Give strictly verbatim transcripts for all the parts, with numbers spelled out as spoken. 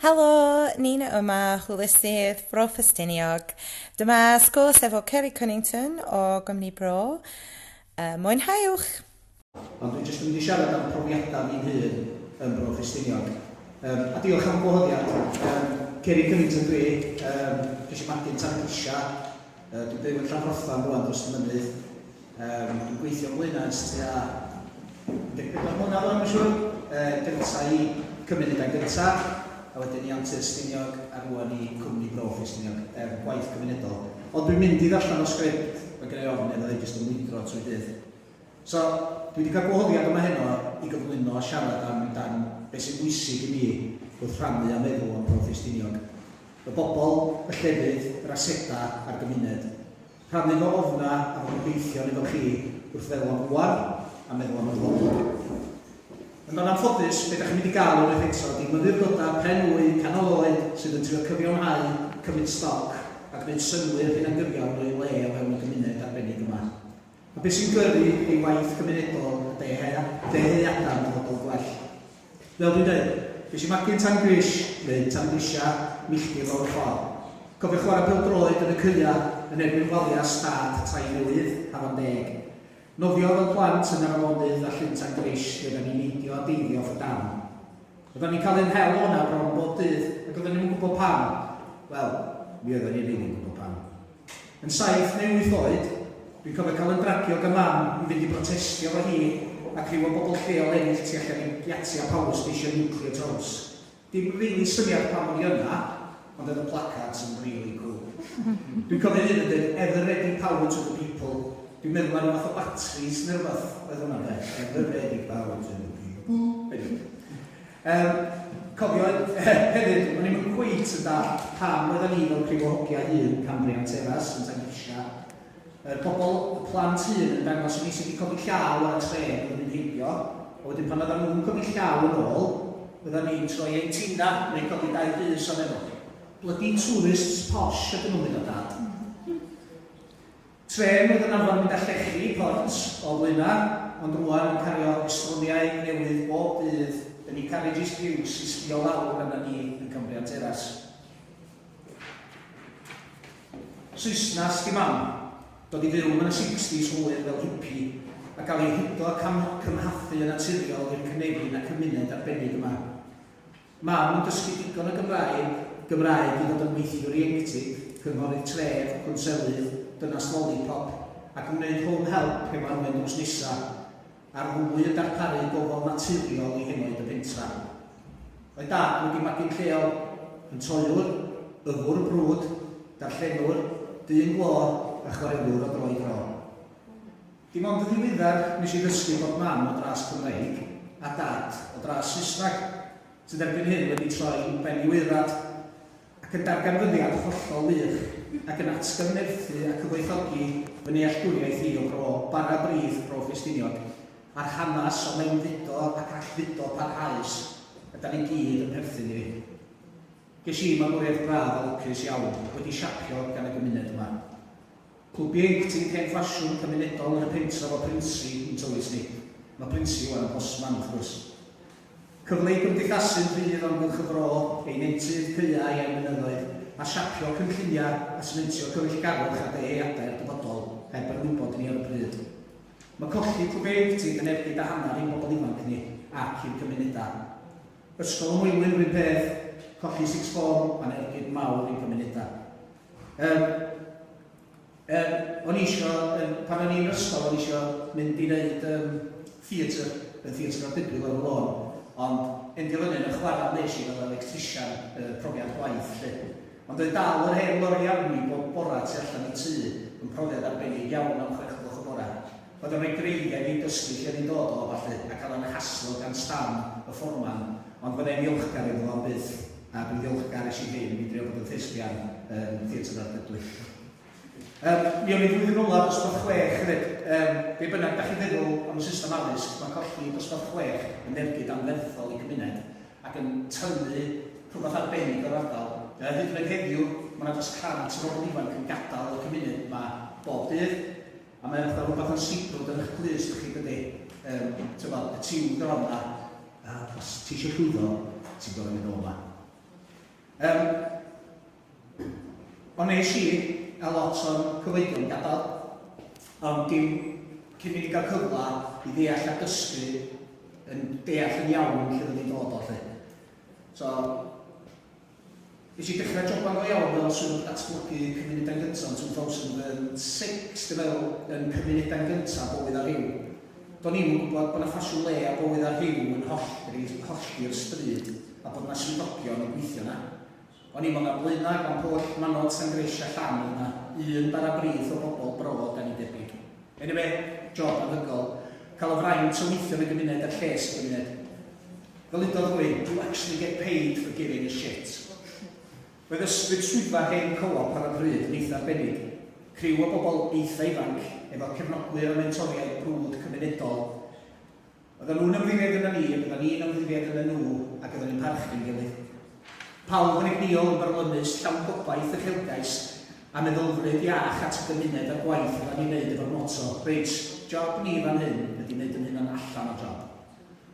Helo, Nina yma, hwylusydd Bro Ffestiniog. Dyma sgwrs efo Kerry Cunnington o Gwmni Bro. Uh, mwynhewch! Ond dwi jyst yn mynd i siarad am profiadau fi'n hun yn Bro Ffestiniog. Um, a diolch am gwahoddiad. Um, Kerry Cunnington dwi, um, ges i magu'n Tan-grisia. Uh, dwi'n byw yn Llanfrothan rwan dros y mynydd. Um, dwi'n gweithio yn Blaenau ers tua un deg pedwar mlynedd o'n siŵr. Uh, gynta i Cymunedau Gyntaf, a wedyn i Antur Stiniog, a rwan i Cwmni Bro Ffestiniog, er gwaith cymunedol. Ond dwi'n mynd i ddarllen o sgript, mae gen i ofn neu fydda i jyst yn mwydro trwy dydd. So, dwi wedi cael gwahoddiad yma heno i gyflwyno a siarad am dan beth sy'n bwysig i mi wrth rhannu a meddwl am Bro Ffestiniog. Y bobl, y llefydd, yr asedau a'r gymuned. Rhannu fy ofna a fy gobeithion efo chi wrth feddwl am rwan a meddwl am y dyfodol. Yn anffodus, be ydych chi'n mynd i gael unwaith eto ydy myfyrdodau pen wy, canol oed sydd yn trio cyfiawnhau, cymryd stoc a gwneud synnwyr hunangyfiawn o'i le o fewn y gymuned arbennig yma. A beth sy'n gyrru ei waith cymunedol a dyheadau am dyfodol gwell. Fel dwi'n dweud, ges i magu'n Tan Gris, neu Tan Grisia, milltir o'r ffordd. Cofio chwarae pêl-droed yn y caea yn erbyn waliau stad tai newydd, Hafan Deg. Nofio fel plant yn yr afonydd a llyn Tan Gris lle oedden ni'n neidio a deifio off y dam. Oedden ni'n cael ein hel o'na bron bob dydd, ac oedden ni'n gwybod pam. Wel, mi oedden ni'n rili'n gwybod pam. Yn saith neu wyth oed, dwi'n cofio cael yn dragio gan mam i fynd i brotestio efo hi ac rhyw o bobl lleol eraill tu allan i giatia power station nuclear house. Dim rili syniad pam o'n i yna, ond oedd y placards yn really cool. Dwi'n cofio un yn dweud, "Ever ready power to the people." Dwi'n meddwl ar fath o batteries neu rhywbeth oedd hwnna de. "Ever ready power to the people." Anyway. Um, cofio hefyd, o'n i'm yn cweit yn dallt pam oedden ni fel criw o hogia hŷn Cambrian Terrace yn Tangrisia. Y pobl, y plant hŷn yn dangos i ni sydd wedi codi llaw ar y trên oedd yn mynd heibio, a wedyn pan oedden nhw'n codi llaw yn ôl, oedden ni'n troi ein tina neu codi dau bys o'n efo. "Bloody tourists posh ydyn nhw'n mynd o, Dad." Tren oedd yn arfer mynd â llechi i port o Blaenau, ond rwan yn cario estroniau newydd bob dydd yn ei carriages piws i sbio lawr arna ni yn Cambrian Terrace. Saesnas di mam, dod i fyw yn y sixties hwyr fel hippie a gael ei hudo a cymhathu yn naturiol i'r cynefin a cymuned arbennig yma. Mam yn dysgu digon o Gymraeg, Gymraeg i ddod yn weithiwr ieuenctid, cynghorydd tref, cwnselydd, dynas lollipop, ac yn gwneud home help hefo Anwen drws nesa, a'r ddwy yn darparu gofal naturiol i henoed y pentra. Oedd Dad wedi magu'n lleol, yn toiwr, yfwr brwd, darllenwr, dyn glo a chwarelwr o dro i dro. Dim ond yn ddiweddar nes i ddysgu bod mam o dras Cymreig a Dad o dras Saesneg, sydd erbyn hyn wedi troi ben i waerad, ac yn darganfyddiad hollol wych, ac yn atgyfnerthu a cyfoethogi fy nealltwriaeth i o bro bara brith Bro Ffestiniog, a'r hanes o mewnfudo ac allfudo parhaus ydan ni gyd yn perthyn iddi. Ges i magwriaeth braf a lwcus iawn, wedi siapio gan y gymuned yma. Clwb ieuenctid hen ffasiwn cymunedol yn y pentref o Prinsi yn tywys ni. Mae Prinsi wan yn postman, wrth gwrs. Cyfle i gymdeithasu'n rhydd o amgylch y fro, ei nentydd, caeau a'i mynyddoedd, a siapio cynlluniau a sementio cyfeillgarwch a dyheadau'r dyfodol heb yn wybod ni ar y pryd. Mae colli clwb ieuenctid yn ergyd a hanner i'n bobl ifanc ni ac i'n cymunedau. Ysgol y Moelwyn rhywun peth, colli sixth form, mae'n ergyd mawr i'n cymunedau. Um, um, o'n i isio, um, pan o'n i'n ysgol, o'n i isio mynd i wneud um, theatr, yn Theatr Ardudwy lawr y lôn, ond endio fyny yn y chwarae nes i fel electrician, uh, profiad gwaith, lle. Ond oedd dal yr hen lori arni bob bora tu allan i tŷ yn profiad arbennig iawn am chwech gloch y bora. Oedd o'n rhoi greiddiau fi dysgu lle ni'n dod o, falle, a cael yn haslo gan Stan, y fforman, ond fyddai'n ddiolchgar iddo fo am byth, a dwi'n ddiolchgar es i ddim i drio bod yn thespian yn Theatr Ardudwy. Um, mi o'n i flwyddyn ola dosbarth chwech hefyd. Um, be bynnag da chi'n feddwl am y system addysg, mae colli dosbarth chwech yn ergyd anferthol i gymuned ac yn tynnu rhywbeth arbennig o'r ardal. Uh, hyd yn oed heddiw, mae yna dros cant o bobl ifanc yn gadael y cymuned yma bob dydd. A mae'n fatha rhywbeth yn sibrwd yn eich glust chi, dydy. Um, tybod, y tiwn gron na. A os ti eisiau llwyddo, ti'n gorfod mynd o yma. Um, ond nes i a lot o'n cyfoedion gadael, ond dim cyn i ni gael cyfle i ddeall a dysgu yn deall yn iawn lle oedd ni'n dod o lle. So, nes i dechrau joban go iawn fel swyddog datblygu Cymunedau'n Gyntaf yn dwy fil a chwech, dwi'n meddwl, yn Cymunedau'n Gyntaf Bywyd a Rhyw. Do'n i'm yn gwybod bod yna ffasiwn le a bywyd a rhyw yn hollti'r stryd a bod yna swyddogion yn gweithio yna. O'n i'n meddwl Blaenau, Glan-pwll, Manod, Sangreisia, Llan yna, un bara brith o bobl bro dan ni debyg. Anyway, job anhygoel. Cael y fraint o weithio yn y gymuned er lles y gymuned. Fel udodd rhywun, "You actually get paid for giving a shit." Roedd ysbryd swyddfa hen Co-op ar y pryd yn eitha arbennig. Criw o bobl eitha ifanc, efo cefnogwyr a mentoriaid brwd cymunedol. Oedden nhw'n ymddiried yna ni, oedden ni'n ymddiried yna nhw, ac oedden ni'n parchu'n gilydd. Pawb yn egnïol, yn byrlymus, llawn gobaith, uchelgais, a meddylfryd iach at y gymuned a'r gwaith oedden ni'n neud efo'r motto, "Reit, job ni fan hyn ydy wneud yn hynna'n allan o job."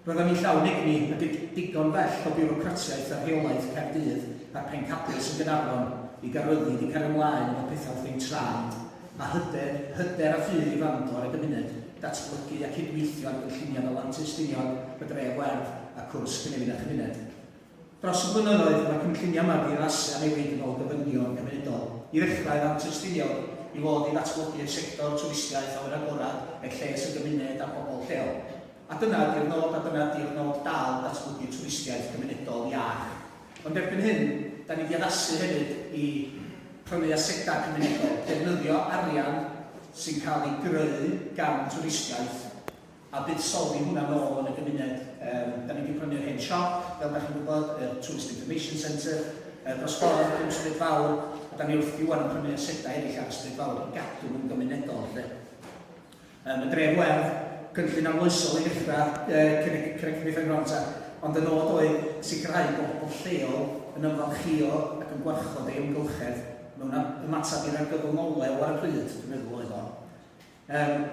Roedden ni'n llawn egni a digon bell o biwrocratiaeth a rheolaeth Caerdydd a'r pencadlys yn Gaernarfon i gael ryddid i cario ymlaen efo pethau wrth ein traed a hyder, hyder a ffydd i wrando ar y gymuned, datblygu a cydweithio ar gynlluniau fel Antur Stiniog, y Dref Werdd a cwrs Cynefin a Chymuned. Dros y blynyddoedd, mae cynlluniau yma wedi addasu a newid yn ôl gofynion cymunedol. I ddechrau, Antur Stiniog i fod i ddatblygu'r sector twristiaeth awyr agorad er lles y gymuned a bobl lleol. A dyna di'r nod, a dyna di'r nod dal, datblygu twristiaeth cymunedol iach. Ond erbyn hyn, da ni wedi addasu hefyd i prynu asedau cymunedol, defnyddio arian sy'n cael ei greu gan twristiaeth a buddsoddi hwnna nôl yn y gymuned. Um, da ni wedi prynu'r hen siop, fel da chi'n gwybod, y Tourist Information Centre, uh, dros ffordd, dim Stryd Fawr, a da ni wrth wan yn prynu asedau eraill ar y Stryd Fawr i gadw nhw'n gymunedol. Lle. Um, y Dref Werdd, cynllun arloesol i ddechrau uh, Connect Grant, ond y nod oedd sicrhau bod pobl lleol yn ymfalchio ac yn gwarchod ei amgylchedd mewn ymateb i'r argyfwng olew ar y pryd, dwi'n meddwl oedd o. Um,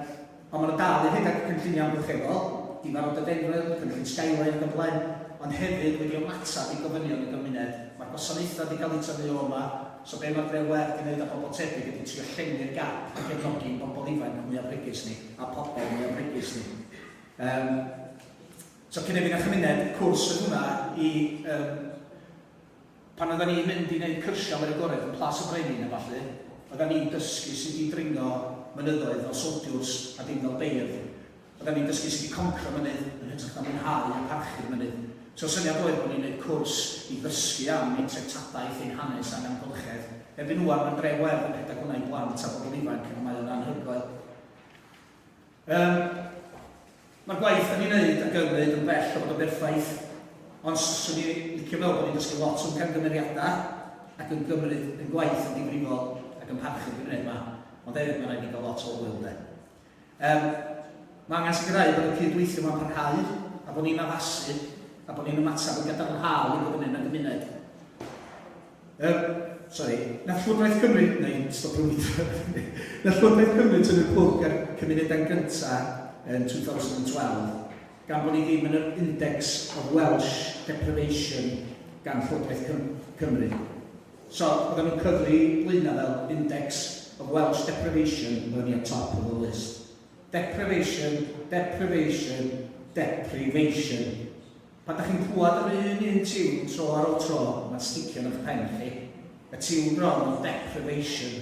ond maen nhw dal i rhedeg cynlluniau amgylcheddol, Rhododendron, cynllun Skyline ac yn blaen, ond hefyd wedi ymateb i gofynion y gymuned. Mae'r gwasanaethau wedi cael eu tynnu o yma, so be mae'r Dref Werdd yn gwneud â bobl tebyg ydy trio llenwi'r gap a cefnogi bobl ifanc mwyaf bregus ni, a pobl mwyaf bregus ni. Um, so Cynefin a Chymuned, cwrs oedd hwnna i um, pan oedden ni'n mynd i wneud cyrsiau awyr agored yn Plas y Brenin a falle, oedden ni'n dysgu sut i dringo mynyddoedd fel soldiwrs a dim fel beirdd. Oedden ni'n dysgu sut i concro mynydd yn hytrach na mwynhau a parchu'r mynydd. So syniad oedd bod ni'n gwneud cwrs i ddysgu am ein treftadaeth, ein hanes a'n amgylchedd. Erbyn ŵan mae'r Dref Werdd yn rhedeg hwnna i blant a bobl ifanc a mae o'n anhygoel. Um, Mae'r gwaith da ni'n neud ac yn wneud yn bell o fod yn berffaith, ond swn i licio meddwl bod ni'n dysgu lot o'n camgymeriadau ac yn gymryd yn gwaith yn difrifol ac yn parchu'r gymuned yma. Ond hefyd mae'n rhaid i gael lot o hwyl de. Um, mae angen sicrhau bod y cydweithio yma'n parhau a bod ni'n addasu a bod ni'n ymateb yn gadarnhaol i fod yn y gymuned. Um, sorry, nath Llywodraeth Cymru, neu stopio weithio, nath Llywodraeth Cymru tynnu plwg ar Cymunedau'n Gyntaf yn dwy fil un deg dau, gan bod ni ddim yn yr Index of Welsh Deprivation gan Llywodraeth Cymru. So, oedden nhw'n cyfri Blaenau fel Index of Welsh Deprivation, oedden ni at top of the list. Deprivation, deprivation, deprivation. Pan da chi'n clywed yr un un tiwn tro ar ôl tro, mae'n sticio yn eich pen chi. Y tiwn bron o deprivation,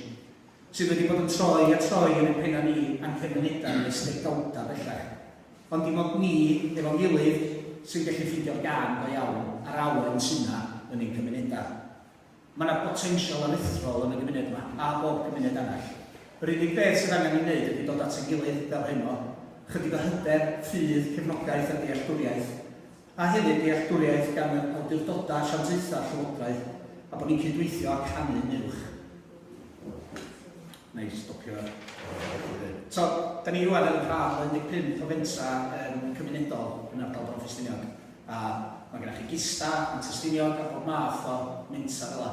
sydd wedi bod yn troi a troi yn y penna ni a'n cymunedau ni ers degawda bellach. Ond dim ond ni, efo'n gilydd, sy'n gallu ffeindio'r gân go iawn a'r awen sy'n yna yn ein cymunedau. Mae yna potensial aruthrol yn y gymuned yma, a bob cymuned arall. Yr unig beth sydd angen ei wneud ydy dod at ein gilydd fel heno, chydig o hyder, ffydd, cefnogaeth a dealltwriaeth, a hefyd dealltwriaeth gan yr awdurdodau, asiantaethau, llywodraeth, a bod ni'n cydweithio a canu'n uwch. Na i stopio. So, da ni rwan yn rhan o un deg pump o fentra um, cymunedol yn ardal Bro Ffestiniog. A mae gennych chi Gista, Antur Stiniog a bob math o mentra fel 'a.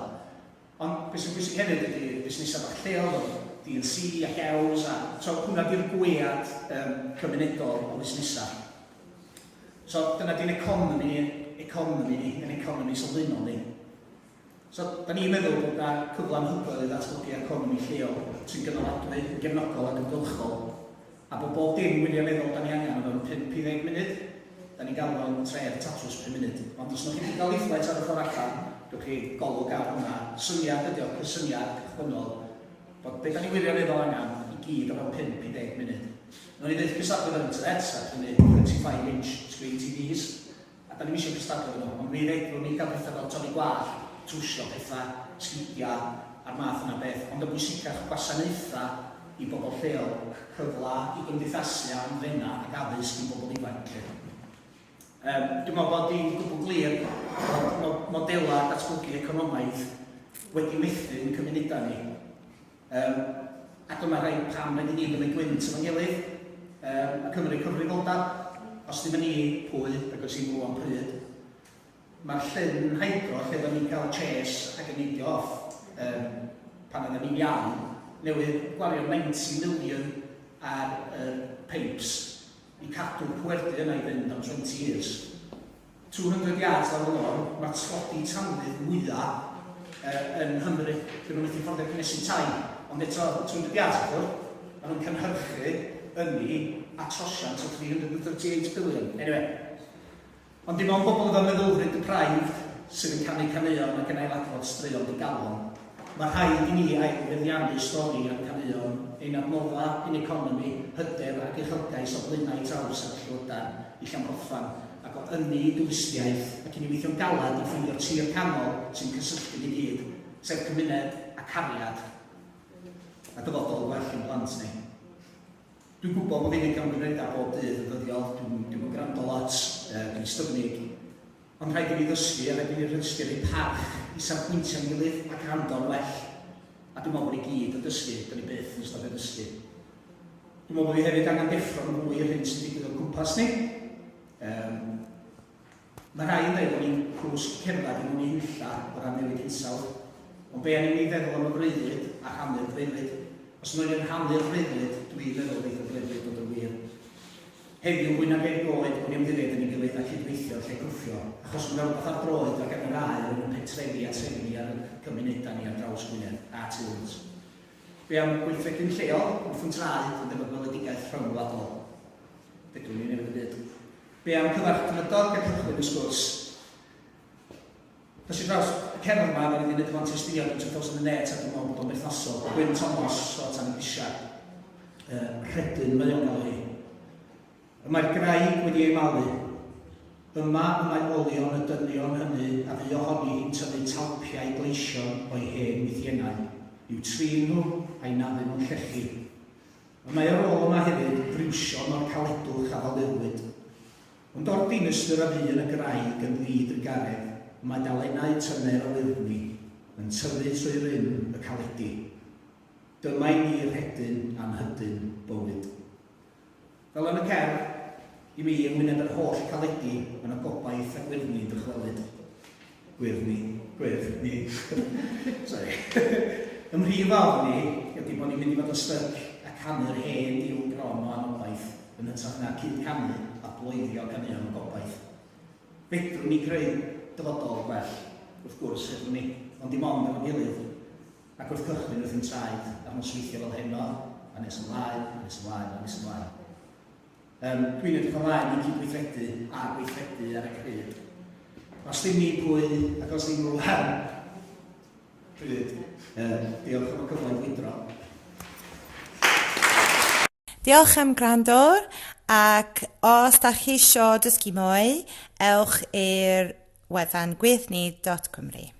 Ond beth sy'n bwysig hefyd ydy busnesau bach lleol, D and C a Gews, a so hwnna di'r gwead um, cymunedol o busnesau. So dyna di'n economi ni, economi ni, yn economi sylfaenol ni. So, da ni'n meddwl bod yna cyfle anhygoel i ddatblygu economi lleol sy'n gynaladwy, yn gefnogol ac yn gylchol, a bod bob dim wirioneddol da ni angen o fewn pump i ddeg munud. Da ni'n galw o'n tref tatws pum munud. Ond os wnewch chi gael leaflet ar y ffordd allan, gewch chi golwg ar hwnna. Syniad ydi o, cysyniad cychwynnol, bod be da ni wirioneddol angen i gyd o fewn pump i ddeg munud. Nawn ni ddeud cystadlu efo'r internet, a prynu twenty-five inch screen T Vs, a da ni'n eisiau cystadlu efo nhw, ond mi fedrwn ni gael pethau fel torri gwallt, trwsio pethau, sgidiau, a'r math yna beth, ond y bwysicach gwasanaethau i bobl lleol, cyfla i gymdeithasu a hamddena ac addysg i bobl ifanc. Um, dwi'n meddwl bod hi'n gwbl glir bod modelau datblygu economaidd wedi methu yn cymunedau ni. Um, a dyma rai pam rhaid i ni gymryd gwynt efo'n gilydd, um, a cymryd cyfrifoldeb. Os ddim yn ni, pwy, ac os i'n rwan pryd. Mae'r llyn hydro lle oedden ni'n cael chase ac yn neidio off um, pan oedden ni'n iau, newydd gwario ninety million ar y uh, pipes i cadw'r pwerdy yna i fynd am twenty years. two hundred yards lawr y lôn, mae tlodi tanwydd mwyaf uh, yn Nghymru. Dyn nhw'n methu fforddio cynnesu tai. Ond eto, two hundred yards i ffwrdd, maen nhw'n cynhyrchu ynni a trosiant o three hundred thirty-eight billion. Anyway, ond dim ond bobl efo meddylfryd deprived sydd yn canu caneuon ac yn ailadrodd straeon digalon. Mae rhaid i ni ailfeddiannu stori a'n caneuon, ein adnodda, ein economi, hyder ac uchelgais o Blaenau Traws ac Llydan i Llanfrothan, ac o ynni i dwristiaeth, ac i ni weithio'n galad i ffeindio'r tir canol sy'n cysylltu ni gyd, sef cymuned a cariad a dyfodol well i'n plant ni. Dwi'n gwybod bod fi'n camgymeriadau bob dydd yn ddyddiol, dwi'n dwi gwrando lot, uh, dwi'n styfnig, ond rhaid i ni ddysgu a rhaid i ni ddysgu rhoi parch i safbwyntiau'n gilydd a gwrando'n well. A dwi'n meddwl bod ni gyd yn dysgu, dyn ni byth yn stopio dysgu. Dwi'n meddwl bod fi hefyd angen deffro'n fwy i'r hyn sy'n digwydd o'n cwmpas ni. Um, mae rhai yn dweud bod ni'n cwsg cerdded i mewn i hunlla o ran newid hinsawdd. Ond be angen ni feddwl am y breuddwyd a rhannu'r breuddwyd? Os nhw'n rhannu'r breuddwyd, dwi'n meddwl bydd y breuddwyd dod yn wir. Heddiw, fwy nag erioed, bod ni ymddiried yn ei gilydd a cydweithio lle cwffio, achos mae'n rhywbeth ar droed ac ar yr aer yn y pentrefi a trefi ar y cymunedau ni ar draws Gwynedd a tu hwnt. Be am gweithredu'n lleol, wrth yn traed, yn efo gweledigaeth rhyngwladol? Fedrwn ni newid y byd. Be am cyfarch cymydog a cychwyn y sgwrs? Dos i draws y cerdd yma, da ni wedi gwneud efo'n testiniad yn two thousand eight a dwi'n meddwl bod o'n berthnasol. Gwyn Thomas o Tan y Grisia. Uh, rhedyn mae o'n gael hi. Y mae'r graig wedi ei malu. Yma y mae olion y dynion hynny a fu ohoni hi'n tynnu talpiau gleision o'i hen wythiennau, i'w trin nhw a'i naddu nhw'n llechi. Y mae ar ôl yma hefyd friwsion o'r caledwch a ddalurwyd. Ond o'r dinistr a fu yn y graig yn ddidrugaredd, mae dalennau tyner o wyrddni yn tyfu trwy rym y caledi. Dyma i ni rhedyn anhydyn bywyd. Fel yn y cerdd, i mi yng ngwyneb yr holl caledi, mae yna gobaith a gwyrddni yn dychwelyd. Gwyrddni, gwyrddni. Sorry. Ym mhrif ofn ni ydy bod ni'n mynd i fod yn styc a canu'r hen diwn gron o anobaith yn hytrach na cyd canu a bloeddio caneuon o gobaith. Fedrwn ni greu dyfodol gwell, wrth gwrs, fedrwn ni, ond dim ond efo'n gilydd. Ac wrth cychwyn wrth ein traed ar nosweithio fel heno, a nes ymlaen, a nes ymlaen, a nes ymlaen. Um, dwi'n edrych ymlaen i cydweithredu a gweithredu ar y pryd. Os ddim ni, pwy, ac os ddim rwan, pryd. Um, diolch am y cyfle i wydro. Diolch am gwrando, ac os da chi isio dysgu mwy, ewch i'r wefan gwyrddni dot cymru.